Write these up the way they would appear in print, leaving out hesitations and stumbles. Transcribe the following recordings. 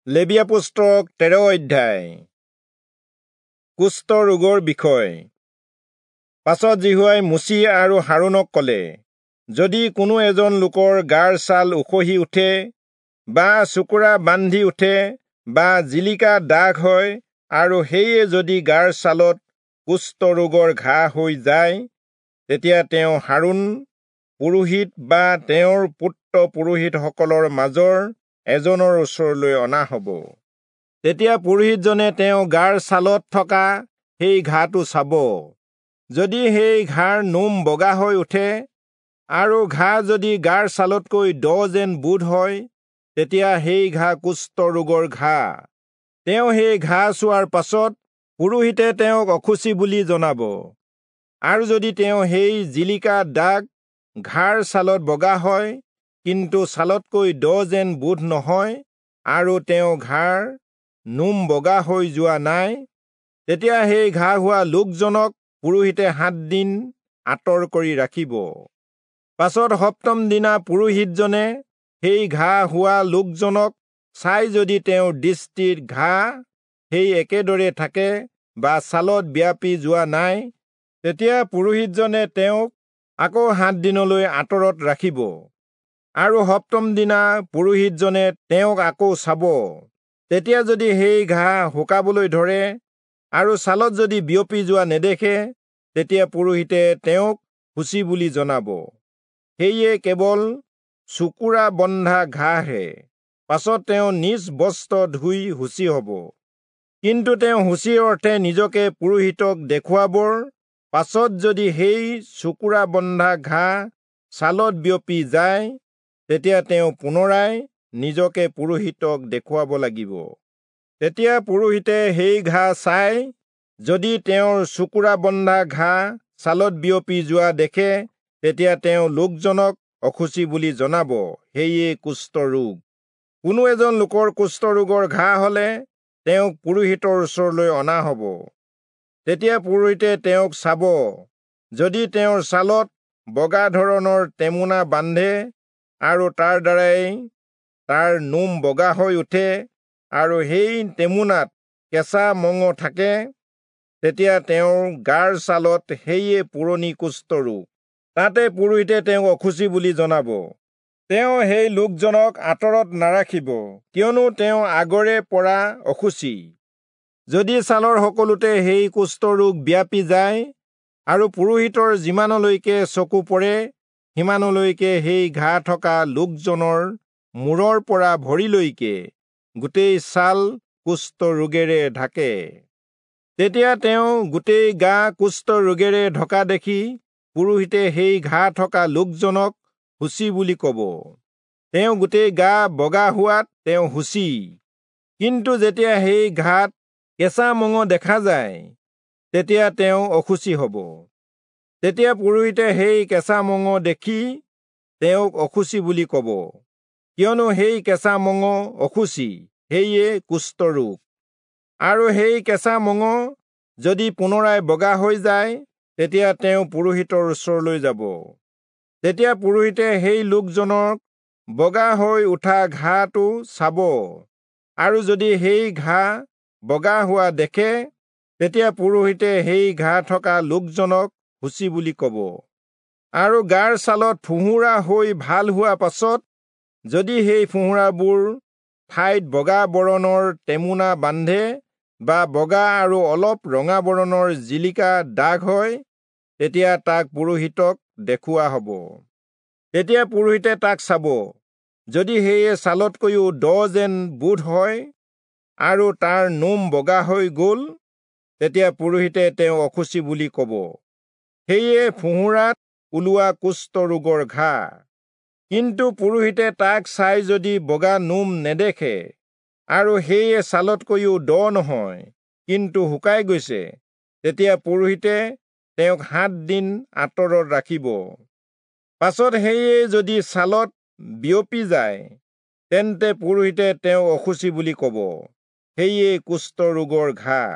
লেবীয়া পুস্তক 13 অধ্যায়। কুষ্ঠ ৰোগৰ বিষয়। পাছত যিহোৱাই মোচি আৰু হাৰোণক ক'লে, যদি কোনো এজন লোকৰ গাৰ ছাল উখহি উঠে বা চোকোৰা বান্ধি উঠে বা জিলিকা দাগ হয়, আৰু সেয়ে যদি গাৰ ছালত কুষ্ঠ ৰোগৰ ঘাঁ হৈ যায়, তেতিয়া তেওঁ হাৰোণ পুৰোহিত বা তেওঁৰ পুত্ৰ পুৰোহিতসকলৰ মাজৰ এজনৰ ওচৰলৈ অনা হ'ব। তেতিয়া পুৰোহিতজনে তেওঁ গাৰ ছালত থকা সেই ঘাঁটো চাব। যদি সেই ঘাঁৰ নোম বগা হৈ উঠে আৰু ঘাঁ যদি গাৰ ছালতকৈ দ যেন বোধ হয়, তেতিয়া সেই ঘাঁ কুষ্ঠ ৰোগৰ ঘাঁ। তেওঁ সেই ঘাঁ চোৱাৰ পাছত পুৰোহিতে তেওঁক অশুচি বুলি জনাব। আৰু যদি তেওঁ সেই জিলিকা দাগ ঘাঁৰ ছালত বগা হয়, কিন্তু ছালতকৈ দ যেন বোধ নহয়, আৰু তেওঁ ঘাঁৰ নোম বগা হৈ যোৱা নাই, তেতিয়া সেই ঘাঁ হোৱা লোকজনক পুৰোহিতে 7 দিন আঁতৰ কৰি ৰাখিব। পাছত সপ্তম দিনা পুৰোহিতজনে সেই ঘাঁ হোৱা লোকজনক চাই যদি তেওঁৰ দৃষ্টিত ঘাঁ সেই একেদৰে থাকে বা ছালত ব্যাপি যোৱা নাই, তেতিয়া পুৰোহিতজনে তেওঁক আকৌ 7 দিনলৈ আঁতৰত ৰাখিব। আৰু সপ্তম দিনা পুৰোহিতজনে তেওঁক আকৌ চাব। তেতিয়া যদি সেই ঘাঁ শুকাবলৈ ধৰে আৰু ছালত যদি বিয়পি যোৱা নেদেখে, তেতিয়া পুৰোহিতে তেওঁক শুচি বুলি জনাব। সেয়ে কেৱল চোকোৰা বন্ধা ঘাঁহে। পাছত তেওঁ নিজ বস্ত্ৰ ধুই শুচি হ'ব। কিন্তু তেওঁ শুচিৰ অৰ্থে নিজকে পুৰোহিতক দেখুৱাবৰ পাছত যদি সেই চোকোৰা বন্ধা ঘাঁ ছালত বিয়পি যায়, তেতিয়া তেওঁ পুনৰাই নিজকে পুৰোহিতক দেখুৱাব লাগিব। তেতিয়া পুৰোহিতে সেই ঘাঁ চাই যদি তেওঁৰ চোকোৰা বন্ধা ঘাঁ ছালত বিয়পি যোৱা দেখে, তেতিয়া তেওঁ লোকজনক অশুচি বুলি জনাব। সেয়ে কুষ্ঠ ৰোগ। কোনো এজন লোকৰ কুষ্ঠ ৰোগৰ ঘাঁ হলে তেওঁক পুৰোহিতৰ ওচৰলৈ অনা হ'ব। তেতিয়া পুৰোহিতে তেওঁক চাব। যদি তেওঁৰ ছালত বগা ধৰণৰ টেমুনা বান্ধে আৰু তাৰ দ্বাৰাই তাৰ নোম বগা হৈ উঠে আৰু সেই টেমুনাত কেঁচা মঙহ থাকে, তেতিয়া তেওঁৰ গাৰ ছালত সেয়ে পুৰণি কুষ্ঠ ৰোগ। তাতে পুৰোহিতে তেওঁক অশুচি বুলি জনাব। তেওঁ সেই লোকজনক আঁতৰত নাৰাখিব, কিয়নো তেওঁ আগৰে পৰা অশুচি। যদি ছালৰ সকলোতে সেই কুষ্ঠ ৰোগ ব্যাপি যায় আৰু পুৰোহিতৰ যিমানলৈকে চকু পৰে সিমানলৈকে সেই ঘাঁ থকা লোকজনৰ মূৰৰ পৰা ভৰিলৈকে গোটেই ছাল কুষ্ঠ ৰোগেৰে ঢাকে, তেতিয়া তেওঁ গোটেই গা কুষ্ঠ ৰোগেৰে ঢকা দেখি পুৰোহিতে সেই ঘাঁ থকা লোকজনক শুচি বুলি ক'ব। তেওঁ গোটেই গা বগা হোৱাত তেওঁ শুচি। কিন্তু যেতিয়া সেই ঘাঁত কেঁচা মঙহ দেখা যায়, তেতিয়া তেওঁ অশুচি হ'ব। তেতিয়া পুৰোহিতে সেই কেঁচা মঙহ দেখি তেওঁক অশুচি বুলি ক'ব, কিয়নো সেই কেঁচা মঙহ অশুচি, সেয়ে কুষ্ঠ ৰোগ। আৰু সেই কেঁচা মঙহ যদি পুনৰাই বগা হৈ যায়, তেতিয়া তেওঁ পুৰোহিতৰ ওচৰলৈ যাব। তেতিয়া পুৰোহিতে সেই লোকজনক বগা হৈ উঠা ঘাঁটো চাব, আৰু যদি সেই ঘাঁ বগা হোৱা দেখে, তেতিয়া পুৰোহিতে সেই ঘাঁ থকা লোকজনক শুচি বুলি ক'ব। আৰু গাৰ ছালত ফোঁহোৰা হৈ ভাল হোৱা পাছত যদি সেই ফোঁহোৰাবোৰ ঠাইত বগা বৰণৰ টেমুনা বান্ধে বা বগা আৰু অলপ ৰঙা বৰণৰ জিলিকা দাগ হয়, তেতিয়া তাক পুৰোহিতক দেখুওৱা হ'ব। তেতিয়া পুৰোহিতে তাক চাব। যদি সেয়ে ছালতকৈও দ যেন বোধ হয় আৰু তাৰ নোম বগা হৈ গ'ল, তেতিয়া পুৰোহিতে তেওঁ অশুচি বুলি ক'ব। সেয়ে ফোঁহোৰাত ওলোৱা কুষ্ঠ ৰোগৰ ঘাঁ। কিন্তু পুৰোহিতে তাক চাই যদি বগা নোম নেদেখে আৰু সেয়ে ছালতকৈও দ নহয়, কিন্তু শুকাই গৈছে, তেতিয়া পুৰোহিতে তেওঁক 7 দিন আঁতৰত ৰাখিব। পাছত সেয়ে যদি ছালত বিয়পি যায়, তেন্তে পুৰোহিতে তেওঁক অশুচি বুলি ক'ব। সেয়ে কুষ্ঠ ৰোগৰ ঘাঁ।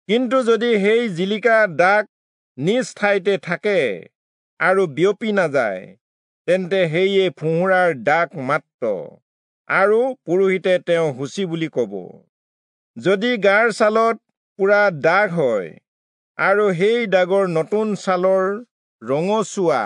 কিন্তু যদি সেই জিলিকা দাগ নিজ ঠাইতে থাকে আৰু বিয়পি নাযায়, তেন্তে সেয়ে ফোঁহোৰাৰ দাগ মাত্ৰ, আৰু পুৰোহিতে তেওঁ শুচি বুলি ক'ব। যদি গাৰ ছালত পোৰা দাগ হয় আৰু সেই দাগৰ নতুন ছালৰ ৰঙচুৱা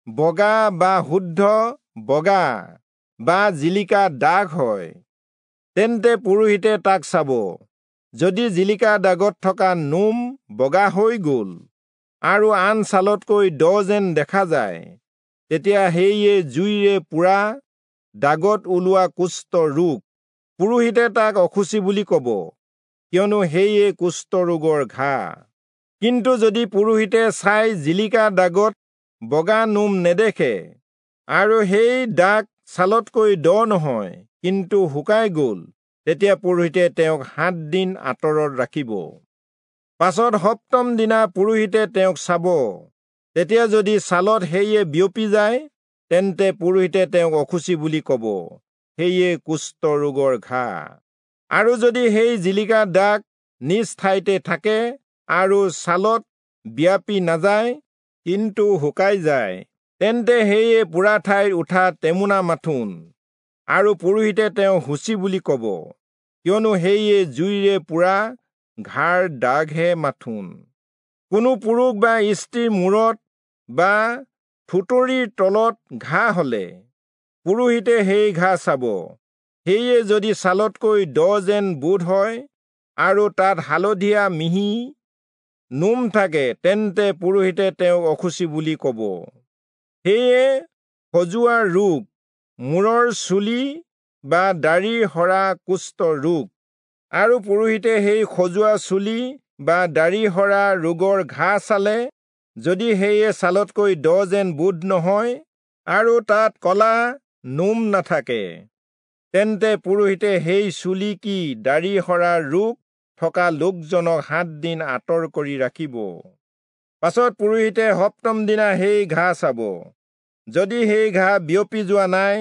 বগা বা শুদ্ধ বগা বা জিলিকা দাগ হয়, তেন্তে পুৰোহিতে তাক চাব। যদি জিলিকা দাগত থকা নোম বগা হৈ গ'ল আৰু আন ছালতকৈ দ যেন দেখা যায়, তেতিয়া সেয়ে জুইৰে পোৰা দাগত ওলোৱা কুষ্ঠ ৰোগ। পুৰোহিতে তাক অশুচি বুলি ক'ব, কিয়নো সেয়ে কুষ্ঠ ৰোগৰ ঘাঁ। কিন্তু যদি পুৰোহিতে চাই জিলিকা দাগত বগা নোম নেদেখে আৰু সেই দাগ ছালতকৈ দ নহয়, কিন্তু শুকাই গ'ল, তেতিয়া পুৰোহিতে তেওঁক 7 দিন আঁতৰত ৰাখিব। পাছত সপ্তম দিনা পুৰোহিতে তেওঁক চাব। তেতিয়া যদি ছালত সেয়ে বিয়পি যায়, তেন্তে পুৰোহিতে তেওঁক অশুচি বুলি ক'ব, সেয়ে কুষ্ঠ ৰোগৰ ঘাঁ। আৰু যদি সেই জিলিকা দাগ নিজ ঠাইতে থাকে আৰু ছালত বিয়পি নাযায়, কিন্তু শুকাই যায়, তেন্তে সেয়ে পোৰা ঠাইত উঠা টেমুনা মাথোন, আৰু পুৰোহিতে তেওঁ শুচি বুলি ক'ব, কিয়নো সেয়ে জুইৰে পোৰা ঘাঁৰ দাগহে মাথোন। কোনো পুৰুষ বা স্ত্ৰীৰ মূৰত বা থুতৰিৰ তলত ঘাঁ হলে পুৰোহিতে সেই ঘাঁ চাব। সেয়ে যদি ছালতকৈ দ যেন বোধ হয় আৰু তাত হালধীয়া মিহি নোম থাকে, তেন্তে পুৰোহিতে তেওঁক অশুচি বুলি ক'ব। সেয়ে খজুৱা ৰোগ, মূৰৰ চুলি বা দাড়ি সৰা কুষ্ঠ ৰোগ। আৰু পুৰোহিতে সেই খজুৱা চুলি বা দাড়ি সৰা ৰোগৰ ঘাঁ চালে, যদি সেয়ে ছালতকৈ দ যেন বোধ নহয় আৰু তাত কলা নোম নাথাকে, তেন্তে পুৰোহিতে সেই চুলি কি দাড়ি সৰা ৰোগ থকা লোকজনক 7 দিন আঁতৰ কৰি ৰাখিব। পাছত পুৰোহিতে সপ্তম দিনা সেই ঘাঁ চাব। যদি সেই ঘাঁ বিয়পি যোৱা নাই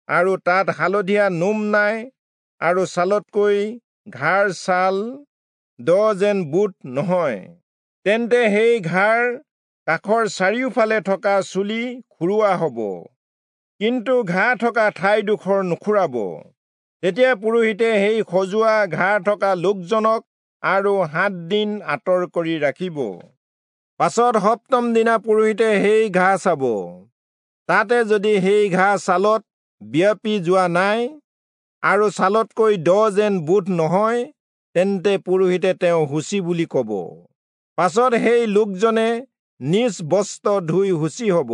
আৰু তাত হালধীয়া নোম নাই আৰু ছালতকৈ ঘাঁৰ ছাল দ যেন বোধ নহয়, তেন্তে সেই ঘাঁৰ কাষৰ চাৰিওফালে থকা চুলি খুৰোৱা হ'ব, কিন্তু ঘাঁ থকা ঠাইডোখৰ নুখুৰাব। তেতিয়া পুৰোহিতে সেই খজুৱা ঘাঁ থকা লোকজনক আৰু 7 দিন আঁতৰ কৰি ৰাখিব। পাছত সপ্তম দিনা পুৰোহিতে সেই ঘাঁ চাব। তাতে যদি সেই ঘাঁ ছালত বিয়পি যোৱা নাই আৰু ছালতকৈ দ যেন বোধ নহয়, তেন্তে পুৰোহিতে তেওঁ শুচি বুলি ক'ব। পাছত সেই লোকজনে নিজ বস্ত্ৰ ধুই শুচি হ'ব।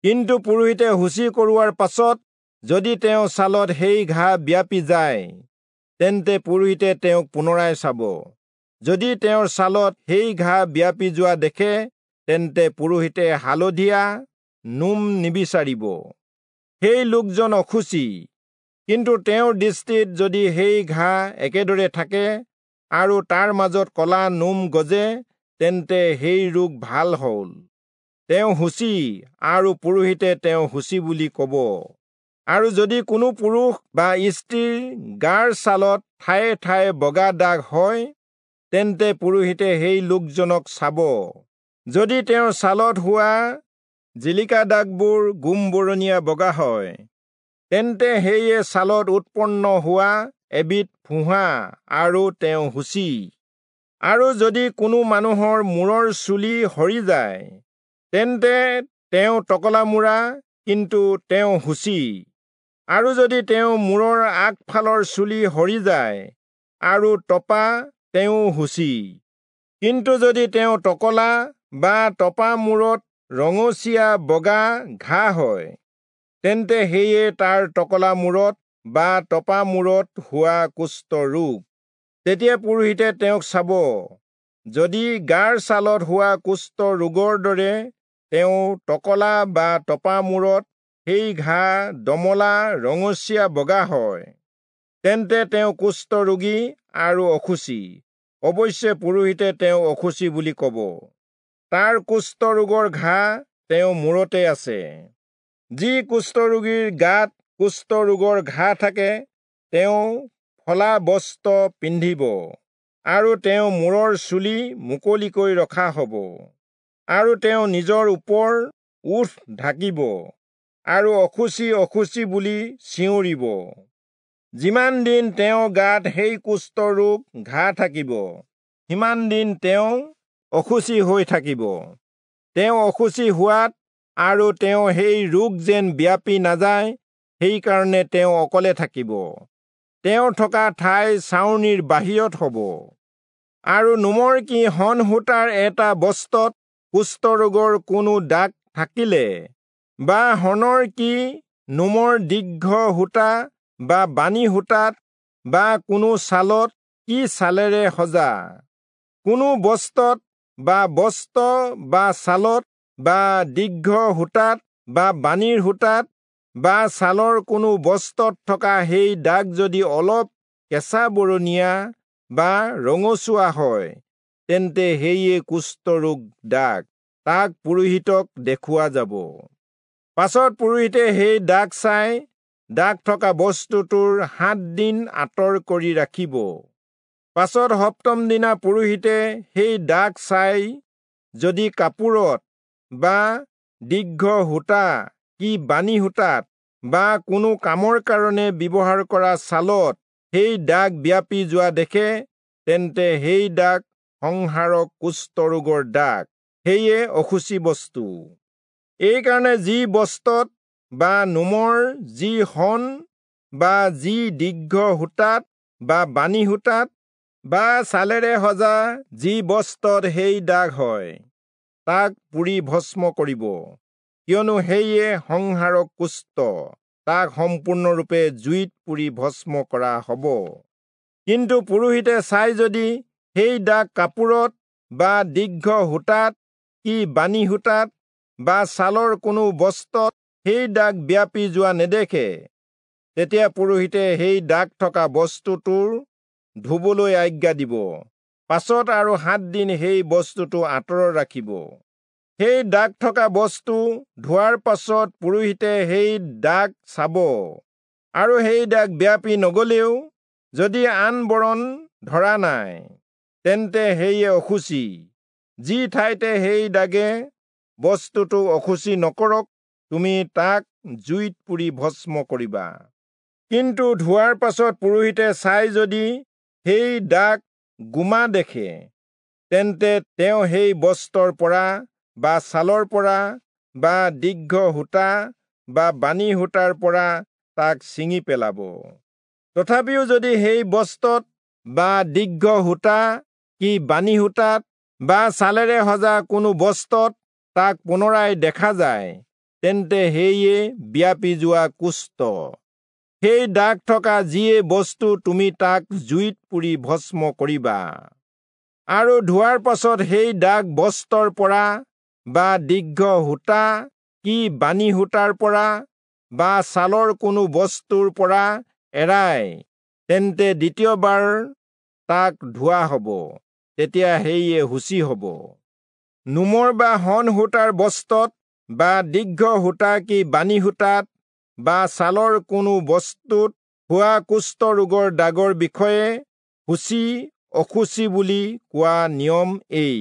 কিন্তু পুৰোহিতে শুচি কৰোৱাৰ পাছত যদি তেওঁ ছালত সেই ঘাঁ বিয়পি যায়, তেন্তে পুৰোহিতে তেওঁক পুনৰাই চাব। যদি তেওঁৰ ছালত সেই ঘাঁ বিয়পি যোৱা দেখে, তেন্তে পুৰোহিতে হালধীয়া নোম নিবিচাৰিব। সেই লোকজন অশুচি। কিন্তু তেওঁৰ দৃষ্টিত যদি সেই ঘাঁ একেদৰে থাকে আৰু তাৰ মাজত কলা নোম গজে, তেন্তে সেই ৰোগ ভাল হ'ল, তেওঁ শুচি, আৰু পুৰোহিতে তেওঁ শুচি বুলি ক'ব। আৰু যদি কোনো পুৰুষ বা স্ত্ৰীৰ গাৰ ছালত ঠায়ে ঠায়ে বগা দাগ হয়, তেন্তে পুৰোহিতে সেই লোকজনক চাব। যদি তেওঁৰ ছালত হোৱা জিলিকা দাগবোৰ গোমবৰণীয়া বগা হয়, তেন্তে সেয়ে ছালত উৎপন্ন হোৱা এবিধ ফোঁহা, আৰু তেওঁ শুচি। আৰু যদি কোনো মানুহৰ মূৰৰ চুলি সৰি যায়, তেন্তে তেওঁ টকলামূৰা, কিন্তু তেওঁ শুচি। আৰু যদি তেওঁ মূৰৰ আগফালৰ চুলি সৰি যায় আৰু টপা, তেওঁ শুচি। কিন্তু যদি তেওঁ টকলা বা টপা মূৰত ৰঙচীয়া বগা ঘাঁ হয়, তেন্তে সেয়ে তাৰ টকলা মূৰত বা টপা মূৰত হোৱা কুষ্ঠ ৰোগ। তেতিয়া পুৰোহিতে তেওঁক চাব। যদি গাৰ ছালত হোৱা কুষ্ঠ ৰোগৰ দৰে তেওঁ টকলা বা টপা মূৰত সেই ঘাঁ দমলা ৰঙচীয়া বগা হয়, তেন্তে তেওঁ কুষ্ঠ ৰোগী আৰু অশুচি। অৱশ্যে পুৰোহিতে তেওঁ অশুচি বুলি ক'ব। তাৰ কুষ্ঠ ৰোগৰ ঘাঁ তেওঁ মূৰতে আছে। যি কুষ্ঠ ৰোগীৰ গাত কুষ্ঠ ৰোগৰ ঘাঁ থাকে, তেওঁ ফলা বস্ত্ৰ পিন্ধিব আৰু তেওঁ মূৰৰ চুলি মুকলিকৈ ৰখা হ'ব, আৰু তেওঁ নিজৰ ওপৰ ওঠ ঢাকিব আৰু অশুচি অশুচি বুলি চিঞৰিব। যিমান দিন তেওঁ গাত সেই কুষ্ঠ ৰোগ ঘা থাকিব, সিমান দিন তেওঁ অশুচি হৈ থাকিব। তেওঁ অশুচি হোৱাত আৰু তেওঁ সেই ৰোগ যেন ব্যাপি নাযায়, সেইকাৰণে তেওঁ অকলে থাকিব। তেওঁ থকা ঠাই ছাউনিৰ বাহিৰত হ'ব। আৰু নোমৰ কি শন সূতাৰ এটা বস্ত্ৰত কুষ্ঠৰোগৰ কোনো দাগ থাকিলে বা শনৰ কি নোমৰ দীৰ্ঘ সূতা বা বাণী সূতাত বা কোনো ছালত কি ছালেৰে সজা কোনো বস্ত্ৰত বা বস্ত্ৰ বা ছালত বা দীৰ্ঘ সূতাত বা বাণীৰ সূতাত বা ছালৰ কোনো বস্ত্ৰত থকা সেই দাগ যদি অলপ কেঁচা বৰণীয়া বা ৰঙচুৱা হয়, তেন্তে সেয়ে কুষ্ঠৰোগ দাগ, তাক পুৰোহিতক দেখুওৱা যাব। পাছত পুৰোহিতে সেই দাগ চাই দাগ থকা বস্তুটোৰ 7 দিন আঁতৰ কৰি ৰাখিব। পাছত সপ্তম দিনা পুৰোহিতে সেই দাগ চাই যদি কাপোৰত বা দীৰ্ঘ সূতা কি বাণী সূতাত বা কোনো কামৰ কাৰণে ব্যৱহাৰ কৰা ছালত সেই দাগ ব্যাপি যোৱা দেখে, তেন্তে সেই দাগ সংহাৰক কুষ্ঠৰোগৰ দাগ, সেয়ে অশুচি বস্তু। এইকাৰণে যি বস্ত্ৰত বা নোমৰ যি শন বা যি দীৰ্ঘ সূতাত বা বাণী সূতাত বা ছালেৰে সজা যি বস্ত্ৰত সেই দাগ হয়, তাক পুৰি ভস্ম কৰিব, কিয়নো সেয়ে সংহাৰক কুষ্ঠ, তাক সম্পূৰ্ণৰূপে জুইত পুৰি ভস্ম কৰা হ'ব। কিন্তু পুৰোহিতে চাই যদি সেই দাগ কাপোৰত বা দীৰ্ঘ সূতাত কি বাণী সূতাত বা ছালৰ কোনো বস্ত্ৰত সেই দাগ ব্যাপি যোৱা নেদেখে, তেতিয়া পুৰোহিতে সেই দাগ থকা বস্তুটোৰ ধুবলৈ আজ্ঞা দিব। পাছত আৰু 7 দিন সেই বস্তুটো আঁতৰত ৰাখিব। সেই দাগ থকা বস্তু ধোৱাৰ পাছত পুৰোহিতে সেই দাগ চাব, আৰু সেই দাগ ব্যাপি নগলেও যদি আন বৰণ ধৰা নাই, তেন্তে সেয়ে অশুচি। যি ঠাইতে সেই দাগে বস্তুটো অশুচি নকৰক, তুমি তাক জুইত পুৰি ভস্ম কৰিবা। কিন্তু ধোৱাৰ পাছত পুৰোহিতে চাই যদি সেই দাগ গোমা দেখে, তেন্তে তেওঁ সেই বস্ত্ৰৰ পৰা বা ছালৰ পৰা বা দীৰ্ঘ সূতা বা বাণী সূতাৰ পৰা তাক ছিঙি পেলাব। তথাপিও যদি সেই বস্ত্ৰত বা দীৰ্ঘ সূতা কি বাণী সূতাত বা ছালেৰে সজা কোনো বস্ত্ৰত তাক পুনৰাই দেখা যায়, তেন্তে সেয়ে ব্যাপি যোৱা কুষ্ঠ। সেই দাগ থকা যিয়ে বস্তু তুমি তাক জুইত পুৰি ভস্ম কৰিবা। আৰু ধোৱাৰ পাছত সেই দাগ বস্ত্ৰৰ পৰা বা দীৰ্ঘ সূতা কি বাণী সূতাৰ পৰা বা ছালৰ কোনো বস্তুৰ পৰা এৰাই, তেন্তে দ্বিতীয়বাৰ তাক ধোৱা হ'ব, তেতিয়া সেয়ে শুচি হ'ব। নোমৰ বা শন সূতাৰ বস্ত্ৰত বা দীৰ্ঘ সূতা কি বাণী সূতাত বা ছালৰ কোনো বস্তুত হোৱা কুষ্ঠ ৰোগৰ দাগৰ বিষয়ে শুচি অশুচি বুলি কোৱা নিয়ম এই।